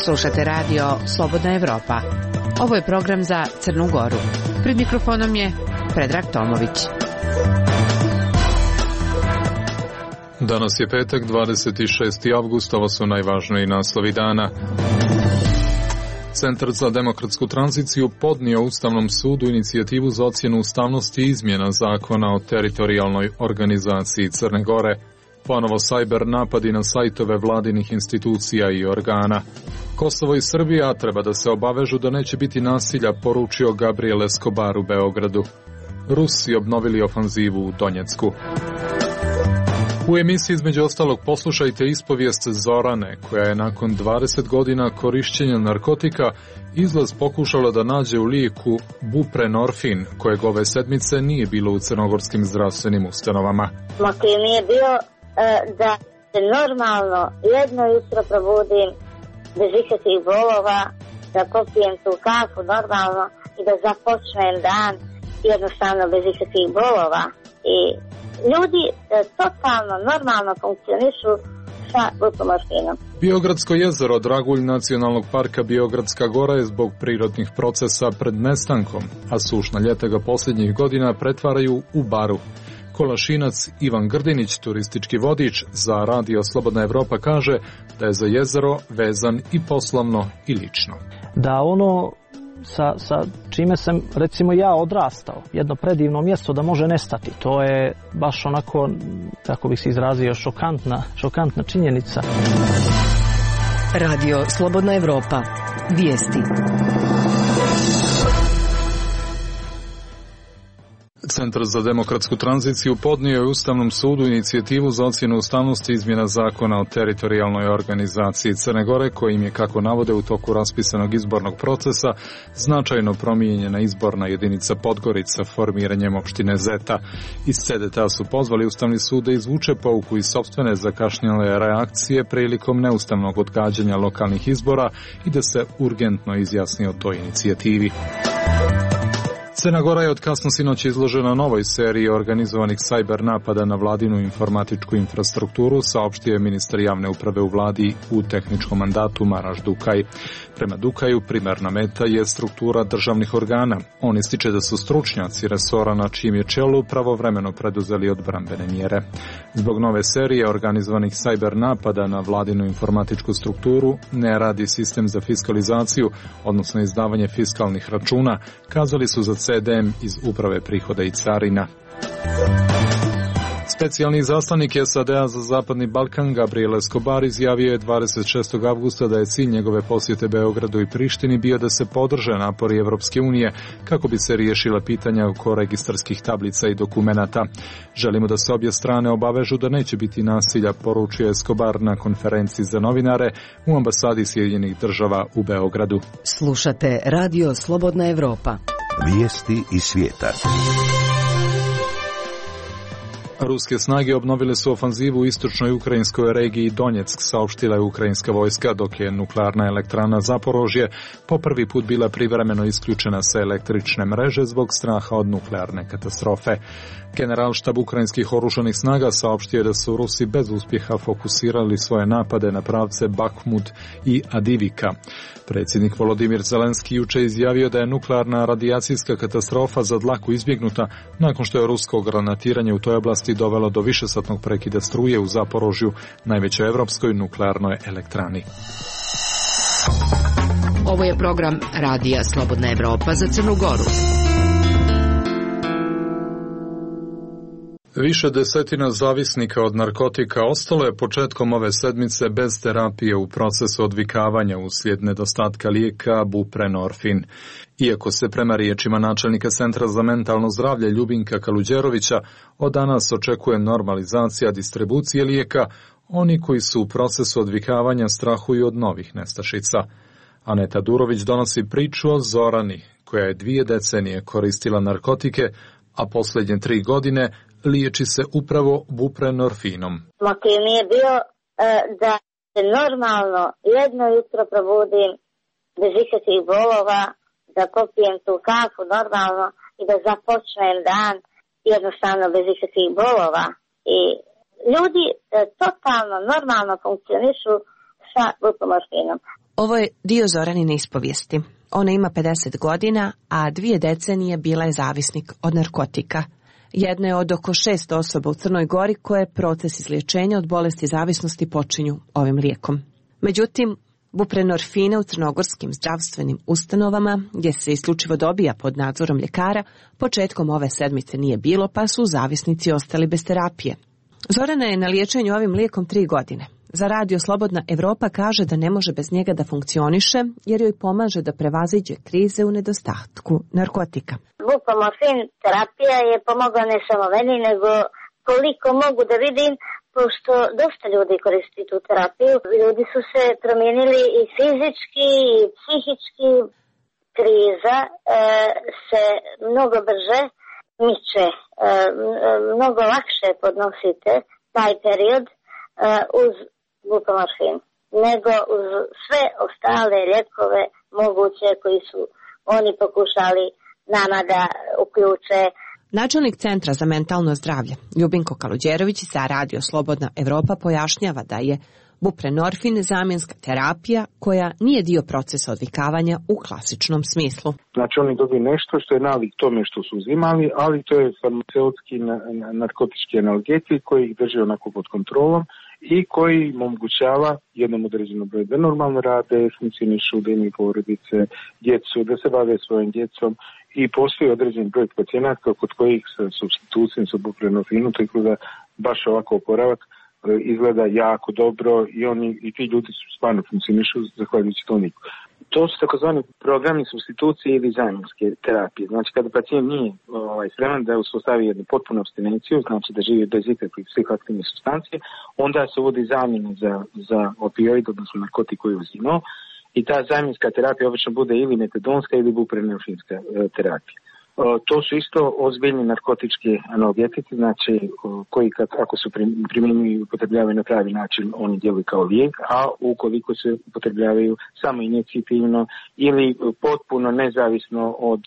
Slušate radio Slobodna Evropa. Ovo je program za Crnu Goru. Pred mikrofonom je Predrag Tomović. Danas je petak, 26. avgust, ovo su najvažniji naslovi dana. Centar za demokratsku tranziciju podnio Ustavnom sudu inicijativu za ocjenu ustavnosti izmjena zakona o teritorijalnoj organizaciji Crne Gore. Ponovo sajber napadi na sajtove vladinih institucija i organa. Kosovo i Srbija treba da se obavežu da neće biti nasilja, poručio Gabriel Escobar u Beogradu. Rusi obnovili ofanzivu u Donjecku. U emisiji između ostalog poslušajte ispovijest Zorane, koja je nakon 20 godina korišćenja narkotika izlaz pokušala da nađe u lijeku buprenorfin, kojeg ove sedmice nije bilo u crnogorskim zdravstvenim ustanovama. Motiv mi je bio da se normalno jedno jutro probudim bez ikakvih bolova, da popijem tu kafu normalno i da započnem dan jednostavno bez ikakvih bolova. I ljudi totalno normalno funkcionišu sa buprenorfinom. Biogradsko jezero, dragulj nacionalnog parka Biogradska gora, je zbog prirodnih procesa pred nestankom, a sušna ljeta ga posljednjih godina pretvaraju u baru. Kolašinac Ivan Grdinić, turistički vodič za radio Slobodna Evropa, kaže da je za jezero vezan i poslovno i lično. Da ono sa čime sam recimo ja odrastao, jedno predivno mjesto da može nestati, to je baš onako, kako bih se izrazio, šokantna činjenica. Radio Slobodna Evropa. Vijesti. Centar za demokratsku tranziciju podnio je Ustavnom sudu inicijativu za ocjenu ustavnosti izmjena zakona o teritorijalnoj organizaciji Crne Gore, kojim je, kako navode, u toku raspisanog izbornog procesa značajno promijenjena izborna jedinica Podgorica formiranjem opštine Zeta. Iz CDT su pozvali Ustavni sud da izvuče pouku iz sopstvene zakašnjele reakcije prilikom neustavnog odgađanja lokalnih izbora i da se urgentno izjasni o toj inicijativi. Crna Gora je od kasno sinoć izložena novoj seriji organizovanih sajber napada na vladinu informatičku infrastrukturu, saopštio je ministar javne uprave u vladi u tehničkom mandatu Maraš Dukaj. Prema Dukaju, primarna meta je struktura državnih organa. On ističe da su stručnjaci resora na čijem je čelu pravovremeno preduzeli odbrambene mjere. Zbog nove serije organizovanih sajber napada na vladinu informatičku strukturu ne radi sistem za fiskalizaciju, odnosno izdavanje fiskalnih računa, kazali su za CDM iz Uprave prihoda i carina. Specijalni zaslanik SAD-a za Zapadni Balkan Gabriel Escobar izjavio je 26. avgusta da je cilj njegove posjete Beogradu i Prištini bio da se podrže napori Evropske unije kako bi se riješila pitanja oko registarskih tablica i dokumenata. Želimo da se obje strane obavežu da neće biti nasilja, poručio Escobar na konferenciji za novinare u ambasadi Sjedinjenih Država u Beogradu. Slušate radio Slobodna Evropa. Vijesti iz svijeta. Ruske snage obnovile su ofanzivu u istočnoj ukrajinskoj regiji Donjeck, saopštila je ukrajinska vojska, dok je nuklearna elektrana Zaporožje po prvi put bila privremeno isključena sa električne mreže zbog straha od nuklearne katastrofe. Generalštab ukrajinskih oružanih snaga saopštio je da su Rusi bez uspjeha fokusirali svoje napade na pravce Bakhmut i Adivika. Predsjednik Volodimir Zelenski juče izjavio da je nuklearna radijacijska katastrofa za dlaku izbjegnuta nakon što je rusko granatiranje u toj oblasti dovelo do višesatnog prekida struje u Zaporožju, najvećoj evropskoj nuklearnoj elektrani. Ovo je program Radija Slobodna Evropa za Crnu Goru. Više desetina zavisnika od narkotika ostalo je početkom ove sedmice bez terapije u procesu odvikavanja uslijed nedostatka lijeka buprenorfin. Iako se prema riječima načelnika Centra za mentalno zdravlje Ljubinka Kaluđerovića od danas očekuje normalizacija distribucije lijeka, oni koji su u procesu odvikavanja strahuju od novih nestašica. Aneta Durović donosi priču o Zorani, koja je 2 decenije koristila narkotike, a posljednje 3 godine liječi se upravo buprenorfinom. Motiv mi je bio da se normalno jedno jutro probudim bez ikakvih bolova, da popijem tu kafu normalno i da započnem dan jednostavno bez ikakvih bolova. I ljudi totalno normalno funkcionišu sa buprenorfinom. Ovo je dio Zoranine ispovijesti. Ona ima 50 godina, a 2 decenije bila je zavisnik od narkotika. Jedna je od oko 6 osoba u Crnoj Gori koje proces izliječenja od bolesti zavisnosti počinju ovim lijekom. Međutim, buprenorfina u crnogorskim zdravstvenim ustanovama, gdje se isključivo dobija pod nadzorom ljekara, početkom ove sedmice nije bilo, pa su zavisnici ostali bez terapije. Zorana je na liječenju ovim lijekom 3 godine. Za Radio Slobodna Evropa kaže da ne može bez njega da funkcioniše, jer joj pomaže da prevaziđe krize u nedostatku narkotika. Buprenorfin terapija je pomogla ne samo meni, nego koliko mogu da vidim, pošto dosta ljudi koristi tu terapiju. Ljudi su se promijenili i fizički i psihički. Kriza se mnogo brže miče, mnogo lakše podnosite taj period uz buprenorfin, nego uz sve ostale lijekove moguće koji su oni pokušali nama da uključe. Načelnik Centra za mentalno zdravlje, Ljubinko Kaluđerović, za Radio Slobodna Evropa pojašnjava da je buprenorfin zamjenska terapija koja nije dio procesa odvikavanja u klasičnom smislu. Znači oni dobiju nešto što je nalik tome što su uzimali, ali to je farmaceutski narkotički analgetik koji ih drži onako pod kontrolom i koji im omogućava jednom određenom broju da normalno rade, funkcionišu, da imaju porodice, djecu, da se bave svojim djecom. I postoji određen broj pacijenata kod kojih sa supstitucijom sa buprenorfinom, tako da baš ovako oporavak izgleda jako dobro i ti ljudi su stvarno funkcionišu zahvaljujući toniku. To su takozvani programi supstitucije ili zamjenske terapije. Znači kada pacijent nije spreman da uspostavi jednu potpunu apstinenciju, znači da živi bez ikakvih psihoaktivnih supstancije, onda se uvodi zamjena za opioid, odnosno narkotik koji je uzimao. I ta zamjenska terapija obično bude ili metadonska ili buprenorfinska terapija. To su isto ozbiljni narkotički analgetici, znači koji ako se primjenjuju i upotrebljavaju na pravi način, oni djeluju kao lijek, a ukoliko se upotrebljavaju samo injekcitivno ili potpuno nezavisno od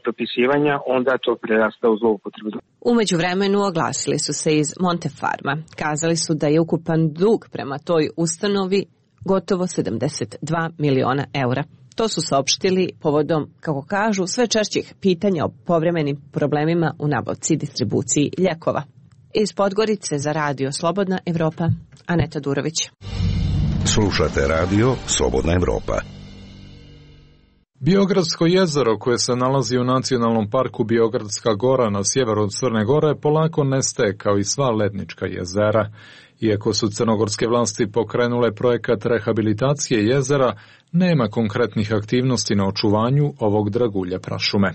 propisivanja, onda to prerasta u zloupotrebu. U međuvremenu oglasili su se iz Montefarma. Kazali su da je ukupan dug prema toj ustanovi gotovo 72 miliona eura. To su saopštili povodom, kako kažu, sve češćih pitanja o povremenim problemima u nabavci i distribuciji lijekova. Iz Podgorice za Radio Slobodna Evropa, Aneta Durović. Slušate Radio Slobodna Evropa. Biogradsko jezero koje se nalazi u nacionalnom parku Biogradska gora na sjeveru od Crne Gore polako nestaje kao i sva lednička jezera. Iako su crnogorske vlasti pokrenule projekat rehabilitacije jezera, nema konkretnih aktivnosti na očuvanju ovog dragulja prašume.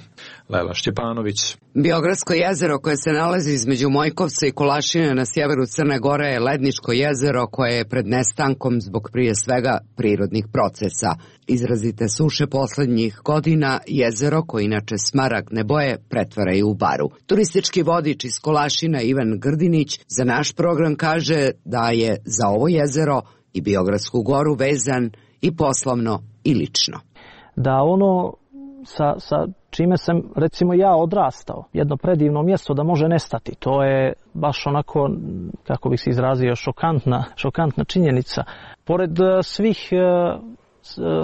Lela Šćepanović. Biogradsko jezero koje se nalazi između Mojkovca i Kolašine na sjeveru Crne Gore je ledničko jezero koje je pred nestankom zbog prije svega prirodnih procesa. Izrazite suše posljednjih godina jezero, koje inače smaragdne boje, pretvaraju u baru. Turistički vodič iz Kolašina Ivan Grdinić za naš program kaže da je za ovo jezero i Biogradsku goru vezan i poslovno i lično. Da ono sa čime sam recimo ja odrastao, jedno predivno mjesto da može nestati, to je baš onako, kako bih se izrazio, šokantna činjenica. Pored svih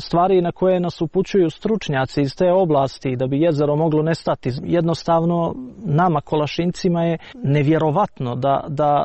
stvari na koje nas upućuju stručnjaci iz te oblasti da bi jezero moglo nestati, jednostavno nama Kolašincima je nevjerovatno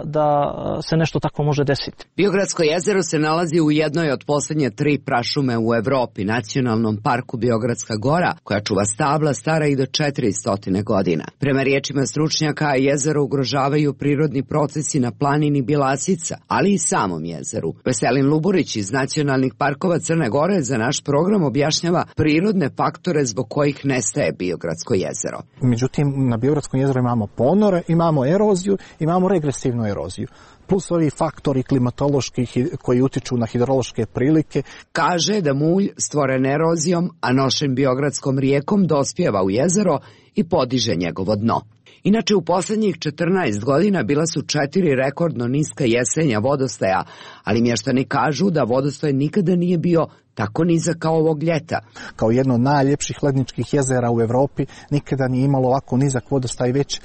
da se nešto tako može desiti. Biogradsko jezero se nalazi u jednoj od posljednje 3 prašume u Evropi, nacionalnom parku Biogradska gora, koja čuva stabla stara i do 400 godina. Prema riječima stručnjaka, jezero ugrožavaju prirodni procesi na planini Bjelasica, ali i samom jezeru. Veselin Luburić iz nacionalnih parkova Crne Gore za naš program objašnjava prirodne faktore zbog kojih nestaje Biogradsko jezero. Međutim, na Biogradskom jezeru imamo ponore, imamo eroziju, imamo regresivnu eroziju. Plus ovi faktori klimatološki koji utiču na hidrološke prilike. Kaže da mulj stvoren erozijom, a nošen Biogradskom rijekom dospijeva u jezero i podiže njegovo dno. Inače, u posljednjih 14 godina bila su 4 rekordno niska jesenja vodostaja, ali mještani kažu da vodostaj nikada nije bio tako nizak kao ovog ljeta. Kao jedno od najljepših ledničkih jezera u Evropi nikada nije imalo ovako nizak vodostaj već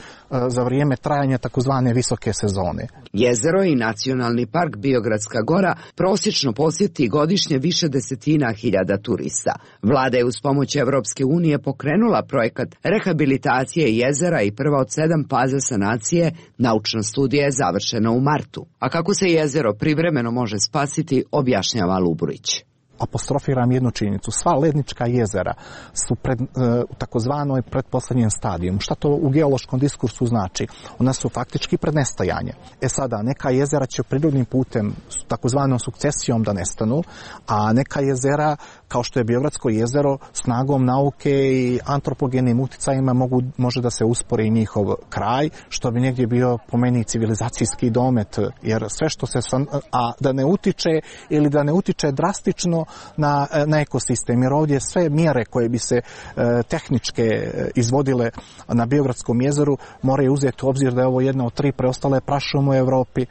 za vrijeme trajanja takozvane visoke sezone. Jezero i Nacionalni park Biogradska gora prosječno posjeti godišnje više desetina hiljada turista. Vlada je uz pomoć Evropske unije pokrenula projekat rehabilitacije jezera i prva od 7 faza sanacije. Naučna studija je završena u martu. A kako se jezero privremeno može spasiti, objašnjava Luburić. Apostrofiram jednu činjenicu. Sva lednička jezera su u takozvanoj pretposlednjem stadiju. Šta to u geološkom diskursu znači? Ona su faktički pred nestajanje. Sada, neka jezera će prirodnim putem, takozvanom sukcesijom da nestanu, a neka jezera, kao što je Biogradsko jezero, snagom nauke i antropogenim uticajima može da se uspori njihov kraj, što bi negdje bio po meni civilizacijski domet, jer sve što se, a da ne utiče ili da ne utiče drastično na ekosistem, jer ovdje sve mjere koje bi se tehničke izvodile na Biogradskom jezeru moraju uzeti u obzir da je ovo jedna od 3 preostale prašume u Evropi.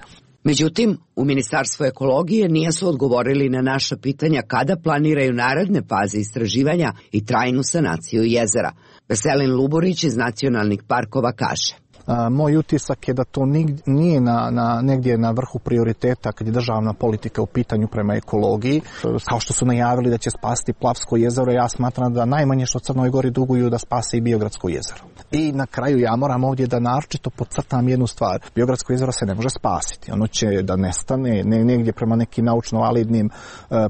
Međutim, u Ministarstvu ekologije nisu odgovorili na naša pitanja kada planiraju naredne faze istraživanja i trajnu sanaciju jezera. Veselin Luburić iz Nacionalnih parkova kaže. Moj utisak je da to nije negdje na vrhu prioriteta kad je državna politika u pitanju prema ekologiji. Kao što su najavili da će spasiti Plavsko jezero, ja smatram da najmanje što Crnoj Gori duguju da spase i Biogradsko jezero. I na kraju ja moram ovdje da naročito podcrtam jednu stvar. Biogradsko jezero se ne može spasiti. Ono će da nestane negdje prema nekim naučno-validnim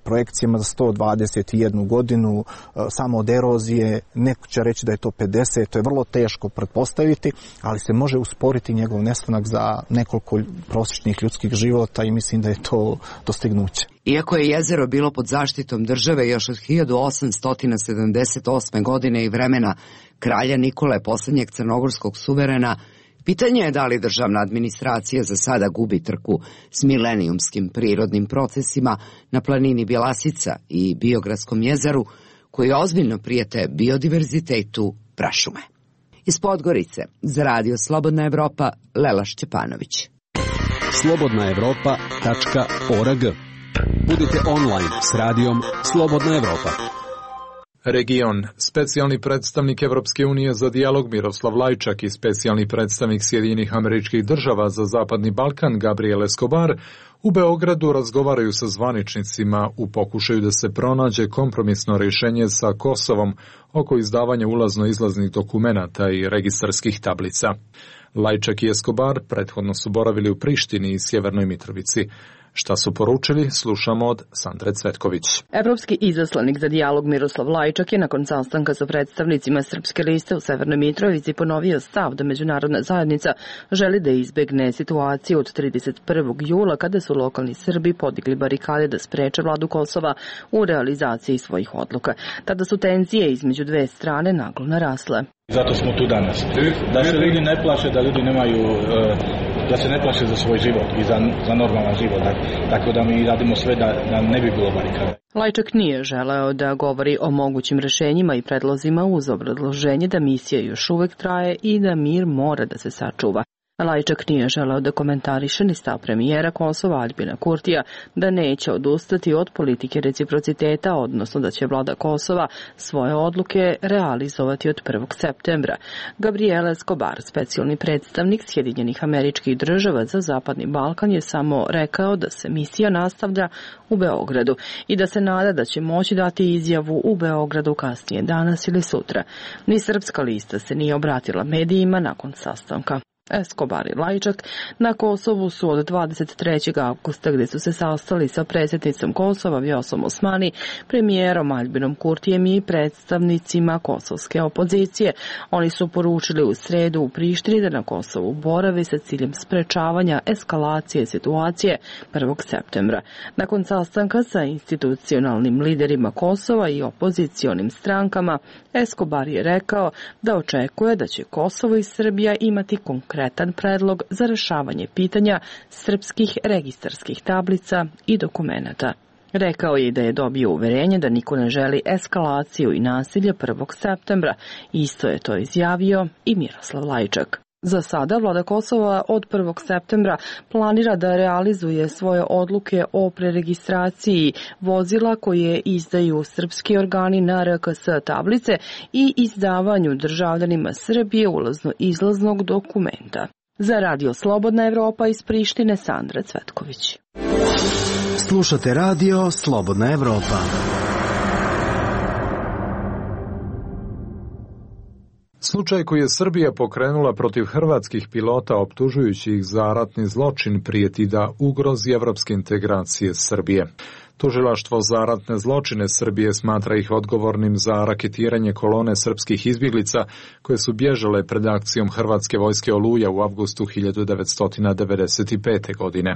projekcijama za 121 godinu samo od erozije. Neko će reći da je to 50, to je vrlo teško pretpostaviti, ali se može usporiti njegov nestanak za nekoliko prosječnih ljudskih života i mislim da je to dostignuće. Iako je jezero bilo pod zaštitom države još od 1878. godine i vremena kralja Nikole, posljednjeg crnogorskog suverena, pitanje je da li državna administracija za sada gubi trku s milenijumskim prirodnim procesima na planini Bjelasica i Biogradskom jezeru, koji ozbiljno prijete biodiverzitetu prašume. Iz Podgorice, za radio Slobodna Evropa, Lela Šćepanović. slobodnaevropa.org. Budite online s radijom Slobodna Evropa. Region. Specijalni predstavnik Evropske unije za dijalog Miroslav Lajčak i specijalni predstavnik Sjedinjenih Američkih Država za Zapadni Balkan Gabriel Escobar u Beogradu razgovaraju sa zvaničnicima u pokušaju da se pronađe kompromisno rješenje sa Kosovom oko izdavanja ulazno-izlaznih dokumenata i registarskih tablica. Lajčak i Escobar prethodno su boravili u Prištini i Sjevernoj Mitrovici. Šta su poručili, slušamo od Sandre Cvetković. Evropski izaslanik za dijalog Miroslav Lajčak je nakon sastanka sa predstavnicima Srpske liste u Severnoj Mitrovici ponovio stav da međunarodna zajednica želi da izbegne situaciju od 31. jula kada su lokalni Srbi podigli barikade da spreče vladu Kosova u realizaciji svojih odluka. Tada su tenzije između dve strane naglo narasle. Zato smo tu danas. Da se ljudi ne plaše, da ljudi nemaju, da se ne plaše za svoj život i za normalan život. Tako da mi radimo sve da ne bi bilo barikada. Lajčak nije želeo da govori o mogućim rešenjima i predlozima uz obrazloženje da misija još uvek traje i da mir mora da se sačuva. Lajčak nije želeo da komentariše ni stav premijera Kosova Aljbina Kurtija da neće odustati od politike reciprociteta, odnosno da će vlada Kosova svoje odluke realizovati od 1. septembra. Gabriel Escobar, specijalni predstavnik Sjedinjenih Američkih Država za Zapadni Balkan, je samo rekao da se misija nastavlja u Beogradu i da se nada da će moći dati izjavu u Beogradu kasnije danas ili sutra. Ni Srpska lista se nije obratila medijima nakon sastanka. Escobar i Lajčak na Kosovu su od 23. avgusta gdje su se sastali sa predsjednicom Kosova Vjosom Osmani, premijerom Aljbinom Kurtijem i predstavnicima kosovske opozicije. Oni su poručili u sredu u Prištini da na Kosovu borave sa ciljem sprečavanja eskalacije situacije 1. septembra. Nakon sastanka sa institucionalnim liderima Kosova i opozicionim strankama, Escobar je rekao da očekuje da će Kosovo i Srbija imati konkretan predlog za rešavanje pitanja srpskih registarskih tablica i dokumenata. Rekao je da je dobio uverenje da niko ne želi eskalaciju i nasilje 1. septembra. Isto je to izjavio i Miroslav Lajčak. Za sada vlada Kosova od 1. septembra planira da realizuje svoje odluke o preregistraciji vozila koje izdaju srpski organi na RKS tablice i izdavanju državljanima Srbije ulazno-izlaznog dokumenta. Za Radio Slobodna Evropa iz Prištine, Sandra Cvetković. Slušate Radio Slobodna Evropa. Slučaj koji je Srbija pokrenula protiv hrvatskih pilota optužujući ih za ratni zločin prijeti da ugrozi evropske integracije Srbije. Tužilaštvo za ratne zločine Srbije smatra ih odgovornim za raketiranje kolone srpskih izbjeglica koje su bježale pred akcijom hrvatske vojske Oluja u avgustu 1995. godine.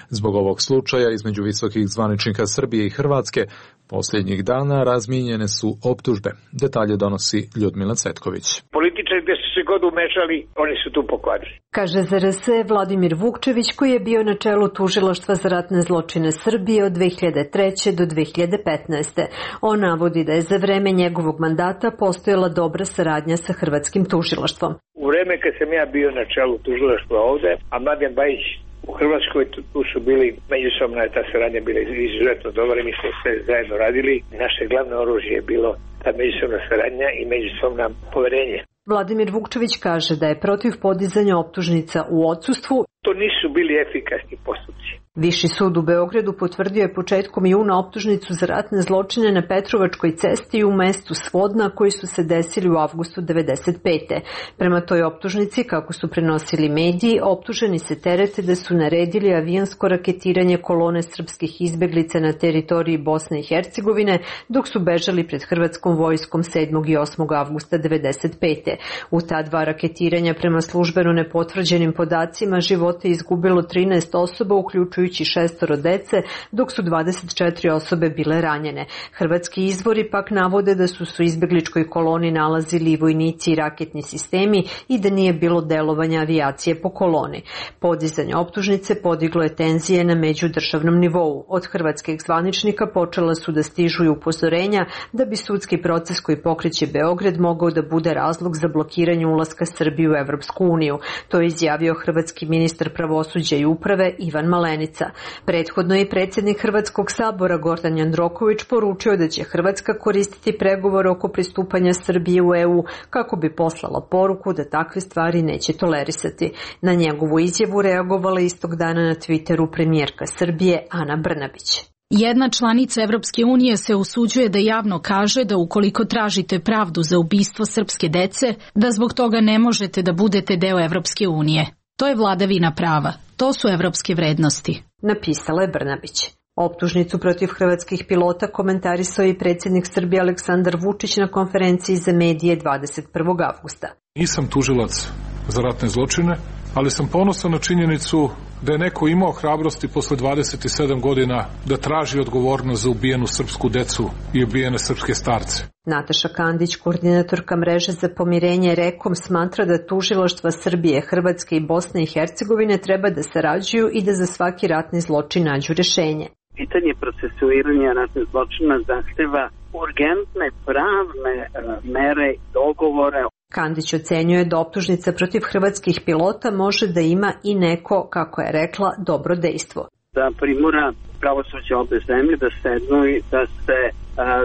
Zbog ovog slučaja između visokih zvaničnika Srbije i Hrvatske posljednjih dana razmijenjene su optužbe. Detalje donosi Ljudmila Cvetković. Političari gdje su se god umešali, oni su tu pokvarili. Kaže za RS Vladimir Vukčević, koji je bio na čelu tužilaštva za ratne zločine Srbije od 2003. do 2015. On navodi da je za vreme njegovog mandata postojala dobra saradnja sa hrvatskim tužilaštvom. U vreme kad sam ja bio na čelu tužilaštva ovde, a Mladen Bajić u Hrvatskoj, tu su bili međusobna, ta saradnja bila izuzetno dobra, mi smo sve zajedno radili. Naše glavno oružje je bilo ta međusobna saradnja i međusobna poverenje. Vladimir Vukčević kaže da je protiv podizanja optužnica u odsustvu. To nisu bili efikasni postupci. Viši sud u Beogradu potvrdio je početkom juna optužnicu za ratne zločine na Petrovačkoj cesti u mestu Svodna koji su se desili u avgustu 1995. Prema toj optužnici, kako su prenosili mediji, optuženi se terete da su naredili avijansko raketiranje kolone srpskih izbjeglica na teritoriji Bosne i Hercegovine dok su bežali pred hrvatskom vojskom 7. i 8. avgusta 1995. U ta dva raketiranja prema službeno nepotvrđenim podacima živote izgubilo 13 osoba, uključujući 6 dece, dok su 24 osobe bile ranjene. Hrvatski izvori pak navode da su u izbjegličkoj koloni nalazili i vojnici i raketni sistemi i da nije bilo delovanja avijacije po koloni. Podizanje optužnice podiglo je tenzije na međudržavnom nivou. Od hrvatskih zvaničnika počela su da stižu i upozorenja da bi sudski proces koji pokreće Beograd mogao da bude razlog za blokiranje ulaska Srbije u Evropsku uniju. To je izjavio hrvatski ministar pravosuđa i uprave Ivan Malenica. Prethodno je predsjednik Hrvatskog sabora Gordan Jandroković poručio da će Hrvatska koristiti pregovore oko pristupanja Srbije u EU kako bi poslala poruku da takve stvari neće tolerisati. Na njegovu izjavu reagovala istog dana na Twitteru premijerka Srbije Ana Brnabić. Jedna članica Evropske unije se usuđuje da javno kaže da ukoliko tražite pravdu za ubistvo srpske dece, da zbog toga ne možete da budete deo Evropske unije. To je vladavina prava. To su evropske vrednosti. Napisala je Brnabić. Optužnicu protiv hrvatskih pilota komentarisao i predsjednik Srbije Aleksandar Vučić na konferenciji za medije 21. avgusta. Nisam tužilac za ratne zločine, ali sam ponosan na činjenicu da je neko imao hrabrosti posle 27 godina da traži odgovornost za ubijenu srpsku decu i ubijene srpske starce. Nataša Kandić, koordinatorka mreže za pomirenje REKOM, smatra da tužilaštva Srbije, Hrvatske i Bosne i Hercegovine treba da sarađuju i da za svaki ratni zločin nađu rješenje. Pitanje procesuiranja ratnih zločina zahteva urgentne pravne mere i dogovore. Kandić ocenjuje da optužnica protiv hrvatskih pilota može da ima i neko, kako je rekla, dobro dejstvo. Da primora pravosuđe obe zemlje da sednu i da se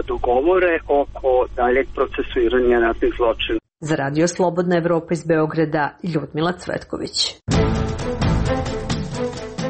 dogovore oko daljeg procesuiranja ratnih zločina. Za Radio Slobodna Evropa iz Beograda, Ljudmila Cvetković.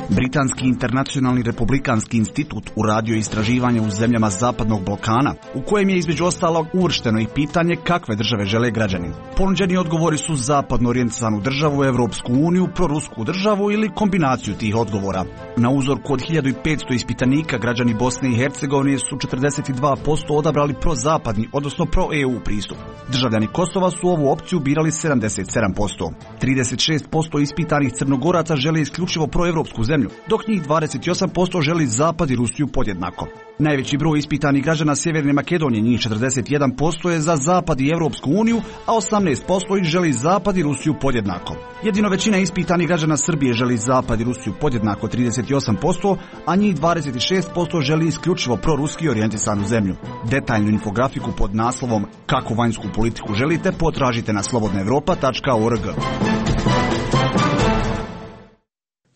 Britanski internacionalni republikanski institut uradio istraživanje u zemljama Zapadnog Balkana, u kojem je između ostalog uvršteno i pitanje kakve države žele građani. Ponuđeni odgovori su zapadno orijentisanu državu, Evropsku uniju, prorusku državu ili kombinaciju tih odgovora. Na uzorku od 1500 ispitanika građani Bosne i Hercegovine su 42% odabrali prozapadni, odnosno pro-EU pristup. Državljani Kosova su ovu opciju birali 77%. 36% ispitanih Crnogoraca žele isključivo proevropsku zemlju, dok njih 28% želi Zapad i Rusiju podjednako. Najveći broj ispitanih građana Sjeverne Makedonije, njih 41%, je za Zapad i Evropsku uniju, a 18% ih želi Zapad i Rusiju podjednako. Jedino većina ispitanih građana Srbije želi Zapad i Rusiju podjednako 38%, a njih 26% želi isključivo proruski orijentisanu zemlju. Detaljnu infografiku pod naslovom Kako vanjsku politiku želite potražite na slobodnaevropa.org.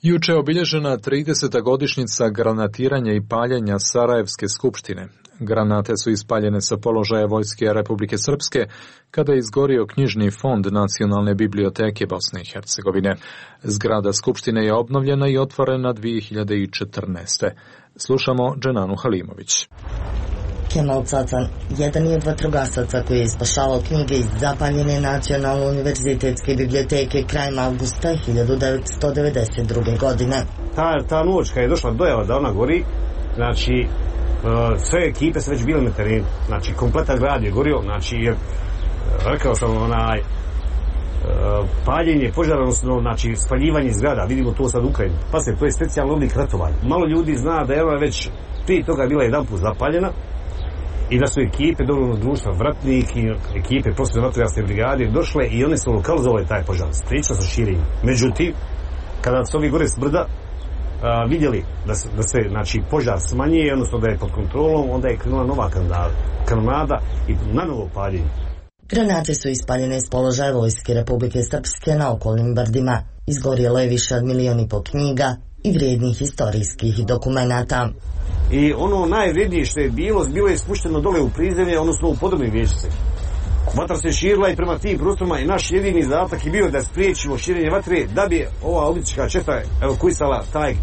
Juče je obilježena 30. godišnjica granatiranja i paljenja Sarajevske skupštine. Granate su ispaljene sa položaja Vojske Republike Srpske kada je izgorio knjižni fond Nacionalne biblioteke Bosne i Hercegovine. Zgrada skupštine je obnovljena i otvorena 2014. Slušamo Dženanu Halimović. Kemal Cacan, jedan je od vatrogasaca koji je spašavao knjige iz zapaljene Nacionalne univerzitetske biblioteke krajem avgusta 1992. godine. Ta noć kad je došla dojava da ona gori, znači sve ekipe su već bile na terenu, znači kompletan grad je gorio, znači rekao sam paljenje, požar, odnosno znači spaljivanje zgrada, vidimo to sad u Ukrajini. Pa to je specijalno oblik ratovanja. Malo ljudi zna da je ona već prije toga bila jedan put zapaljena i da su ekipe dobrovoljnog društva Vratnik i ekipe profesionalne vatrogasne brigade došle i oni su lokalizovali taj požar, spriječili su širenje. Međutim, kada su ovi gore s brda vidjeli da se znači, požar smanjuje, odnosno da je pod kontrolom, onda je krenula nova kanonada i na novo paljenje. Granate su ispaljene s položaja Vojske Republike Srpske na okolnim brdima. Izgorjelo je više od 1,5 miliona knjiga i vrijednih historijskih dokumenata. I ono najvrijednije što je bilo je spušteno dole u prizemlje, odnosno u podobne vječice. Vatra se širila i prema tim prostorima i naš jedini zadatak je bio da spriječimo širenje vatre, da bi ova odvjetnička četa evakuisala taj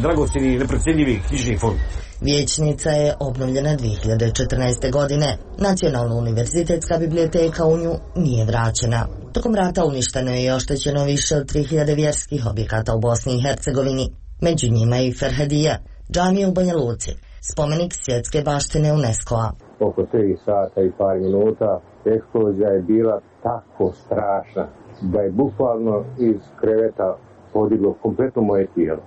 dragocjeni i neprocjenjivi knjižni fond. Vijećnica je obnovljena 2014. godine. Nacionalna univerzitetska biblioteka u nju nije vraćena. Tokom rata uništeno je i oštećeno više od 3000 vjerskih objekata u Bosni i Hercegovini. Među njima i Ferhadija, džamija u Banja Luci, spomenik svjetske baštine UNESCO-a. Oko 3 sata i par minuta eksplozija je bila tako strašna da je bukvalno iz kreveta podiglo kompletno moje tijelo.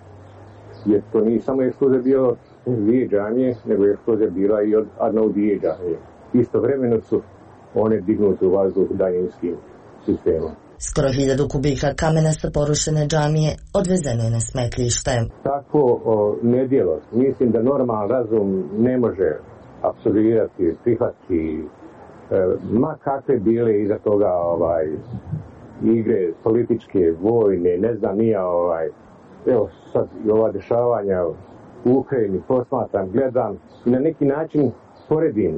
Jer to nije samo eksplozija bilo dvije džamije, nego je eksplozija bila i od Arnaudije džamije. Istovremeno su one dignute u vazduh daljinskim sistemom. Skoro 1000 kubika kamena sa porušene džamije odvezeno je na smetlište. Takvo nedjelo, mislim da normalan razum ne može apsolvirati, prihvatiti, ma kakve bile iza toga igre političke, vojne, ne znam nija evo sad i ova dešavanja u Ukrajini posmatram, gledam i na neki način poredim.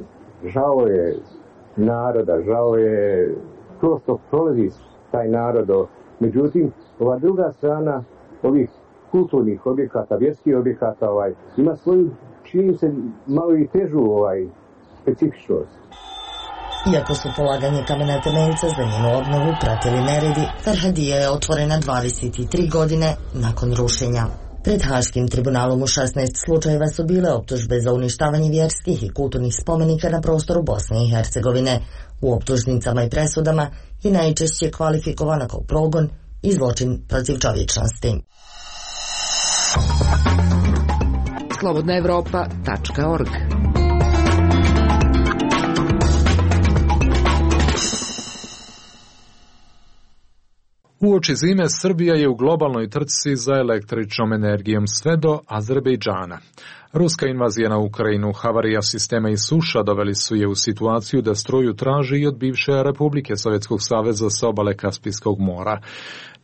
Žao je naroda, žao je to što prolazi taj narod. Međutim, ova druga strana ovih kulturnih objekata, vjerskih objekata ima svoju, čini se, malo i težu specifičnost. Iako su polaganje kamena temeljca za njenu obnovu pratili neredi, Ferhadija je otvorena 23 godine nakon rušenja. Pred Haškim tribunalom u 16 slučajeva su bile optužbe za uništavanje vjerskih i kulturnih spomenika na prostoru Bosne i Hercegovine. U optužnicama i presudama je najčešće kvalifikovana kao progon i zločin protiv čovječnosti. slobodnaevropa.org. Uoči zime Srbija je u globalnoj trci za električnom energijom sve do Azerbejdžana. Ruska invazija na Ukrajinu, havarija sistema i suša doveli su je u situaciju da struju traži i od bivše Republike Sovjetskog saveza sa obale Kaspijskog mora.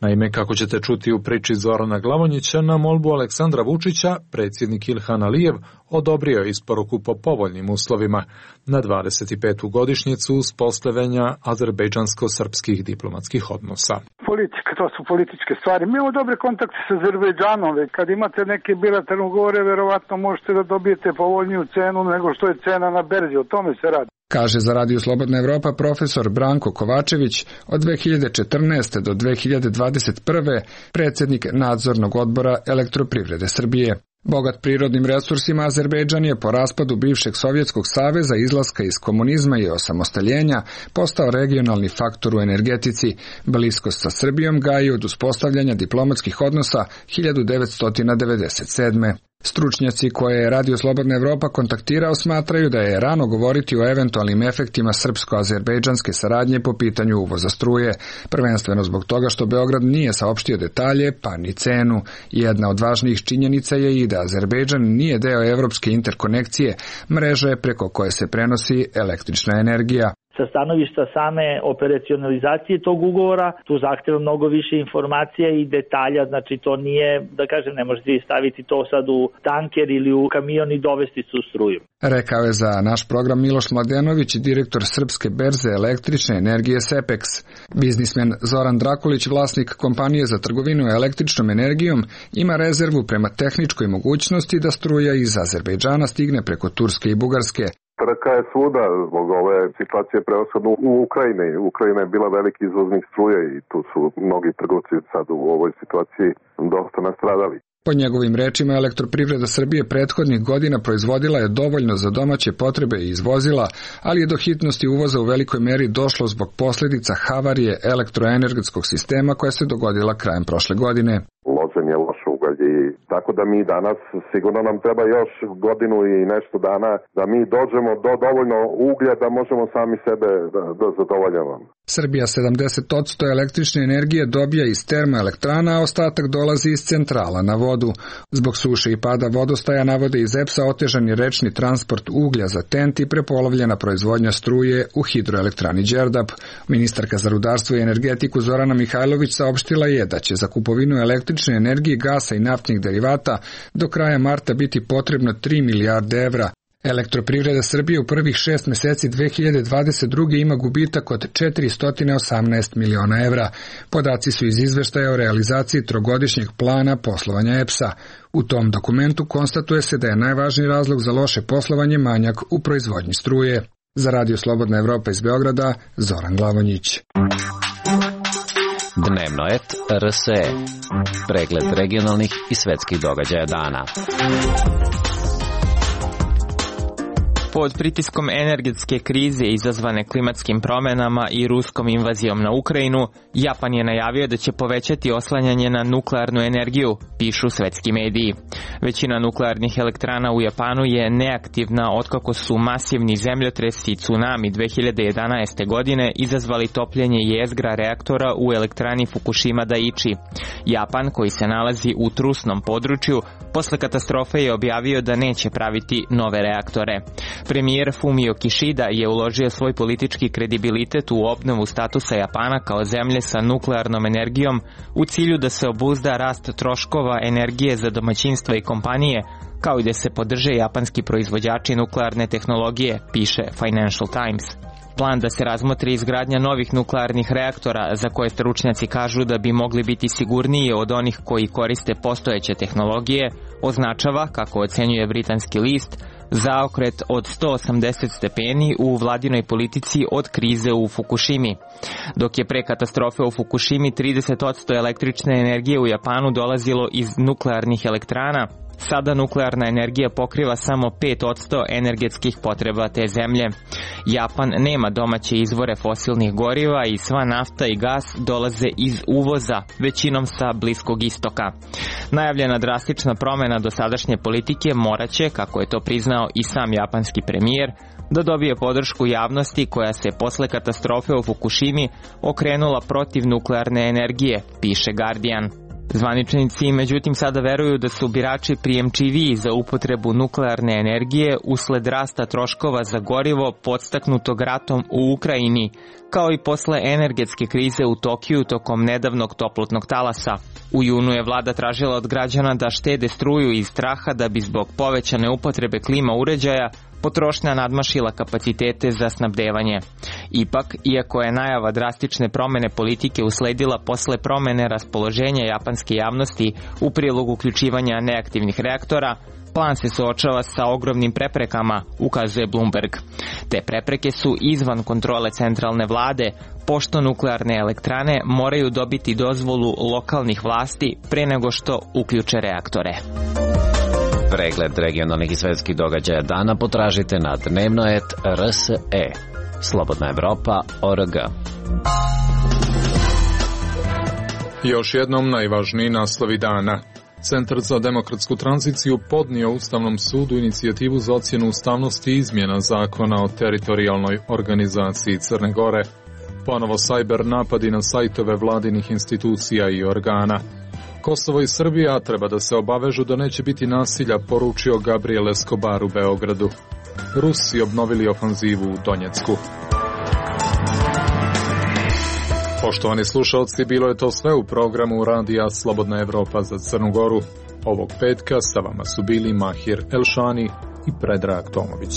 Naime, kako ćete čuti u priči Zorana Glavonjića, na molbu Aleksandra Vučića, predsjednik Ilhan Alijev odobrio isporuku po povoljnim uslovima na 25. godišnjicu uspostavljanja azerbejdžansko-srpskih diplomatskih odnosa. Politika, to su političke stvari. Mi imamo dobre kontakte sa Azerbejdžanom. Kad imate neke bilateralne ugovore, verovatno možete da dobijete povoljniju cenu nego što je cena na berzi. O tome se radi. Kaže za Radio Slobodna Evropa profesor Branko Kovačević, od 2014. do 2021. predsjednik nadzornog odbora Elektroprivrede Srbije. Bogat prirodnim resursima, Azerbejdžan je po raspadu bivšeg Sovjetskog saveza, izlaska iz komunizma i osamostaljenja postao regionalni faktor u energetici. Bliskost sa Srbijom gaji od uspostavljanja diplomatskih odnosa 1997. Stručnjaci koje je Radio Slobodna Evropa kontaktirao smatraju da je rano govoriti o eventualnim efektima srpsko-azerbejdžanske saradnje po pitanju uvoza struje, prvenstveno zbog toga što Beograd nije saopštio detalje pa ni cenu. Jedna od važnijih činjenica je i da Azerbejdžan nije deo evropske interkonekcije, mreže preko koje se prenosi električna energija. Sa stanovišta same operacionalizacije tog ugovora, tu zahteva mnogo više informacija i detalja, znači to nije, da kažem, ne možete staviti to sad u tanker ili u kamion i dovesti su struju. Rekao je za naš program Miloš Mladenović, direktor Srpske berze električne energije SEPEX. Biznismen Zoran Drakulić, vlasnik kompanije za trgovinu električnom energijom, ima rezervu prema tehničkoj mogućnosti da struja iz Azerbejdžana stigne preko Turske i Bugarske. Trka je svuda zbog ove situacije prevashodno u Ukrajini. Ukrajina je bila veliki izvoznik struje i tu su mnogi trgovci sad u ovoj situaciji dosta nastradali. Po njegovim rečima, Elektroprivreda Srbije prethodnih godina proizvodila je dovoljno za domaće potrebe i izvozila, ali je do hitnosti uvoza u velikoj meri došlo zbog posljedica havarije elektroenergetskog sistema koja se dogodila krajem prošle godine. Ložen je loš ugalj i tako da mi danas, sigurno nam treba još godinu i nešto dana da mi dođemo do dovoljno uglja da možemo sami sebe da zadovoljavamo. Srbija 70% električne energije dobija iz termoelektrana, a ostatak dolazi iz centrala na vodu. Zbog suše i pada vodostaja, navode iz EPS-a, otežan je rečni transport uglja za TENT i prepolovljena proizvodnja struje u hidroelektrani Đerdap. Ministarka za rudarstvo i energetiku Zorana Mihajlović saopštila je da će za kupovinu električne energije, gasa i naftnih derivata do kraja marta biti potrebno 3 milijarde evra. Elektroprivreda Srbije u prvih 6 meseci 2022. ima gubitak od 418 miliona evra. Podaci su iz izveštaja o realizaciji trogodišnjeg plana poslovanja EPS-a. U tom dokumentu konstatuje se da je najvažniji razlog za loše poslovanje manjak u proizvodnji struje. Za Radio Slobodna Evropa iz Beograda, Zoran Glavonjić. Dnevno et RSE. Pregled regionalnih i svetskih događaja dana. Pod pritiskom energetske krize izazvane klimatskim promjenama i ruskom invazijom na Ukrajinu, Japan je najavio da će povećati oslanjanje na nuklearnu energiju, pišu svetski mediji. Većina nuklearnih elektrana u Japanu je neaktivna otkako su masivni zemljotresi i tsunami 2011. godine izazvali topljenje jezgra reaktora u elektrani Fukushima Daiichi. Japan, koji se nalazi u trusnom području, posle katastrofe je objavio da neće praviti nove reaktore. Premijer Fumio Kishida je uložio svoj politički kredibilitet u obnovu statusa Japana kao zemlje sa nuklearnom energijom u cilju da se obuzda rast troškova energije za domaćinstva i kompanije, kao i da se podrže japanski proizvođači nuklearne tehnologije, piše Financial Times. Plan da se razmotri izgradnja novih nuklearnih reaktora, za koje stručnjaci kažu da bi mogli biti sigurniji od onih koji koriste postojeće tehnologije, označava, kako ocenjuje britanski list, zaokret od 180 stepeni u vladinoj politici od krize u Fukushimi. Dok je pre katastrofe u Fukushimi 30% električne energije u Japanu dolazilo iz nuklearnih elektrana, sada nuklearna energija pokriva samo 5% energetskih potreba te zemlje. Japan nema domaće izvore fosilnih goriva i sva nafta i gas dolaze iz uvoza, većinom sa Bliskog istoka. Najavljena drastična promjena dosadašnje politike moraće, kako je to priznao i sam japanski premijer, da dobije podršku javnosti koja se posle katastrofe u Fukushimi okrenula protiv nuklearne energije, piše Guardian. Zvaničnici međutim sada veruju da su birači prijemčiviji za upotrebu nuklearne energije usled rasta troškova za gorivo podstaknutog ratom u Ukrajini, kao i posle energetske krize u Tokiju tokom nedavnog toplotnog talasa. U junu je vlada tražila od građana da štede struju iz straha da bi zbog povećane upotrebe klima uređaja potrošnja nadmašila kapacitete za snabdevanje. Ipak, iako je najava drastične promjene politike usledila posle promjene raspoloženja japanske javnosti u prilog uključivanja neaktivnih reaktora, plan se suočava sa ogromnim preprekama, ukazuje Bloomberg. Te prepreke su izvan kontrole centralne vlade, pošto nuklearne elektrane moraju dobiti dozvolu lokalnih vlasti pre nego što uključe reaktore. Pregled regionalnih i svetskih događaja dana potražite na dnevnoet.rse. Slobodna Evropa.org. Još jednom najvažniji naslovi dana. Centar za demokratsku tranziciju podnio Ustavnom sudu inicijativu za ocjenu ustavnosti izmjena zakona o teritorijalnoj organizaciji Crne Gore. Ponovo sajber napadi na sajtove vladinih institucija i organa. Kosovo i Srbija treba da se obavežu da neće biti nasilja, poručio Gabriel Escobar u Beogradu. Rusi obnovili ofanzivu u Donjecku. Poštovani slušalci, bilo je to sve u programu Radija Slobodna Evropa za Crnu Goru. Ovog petka sa vama su bili Mahir Elšani i Predrag Tomović.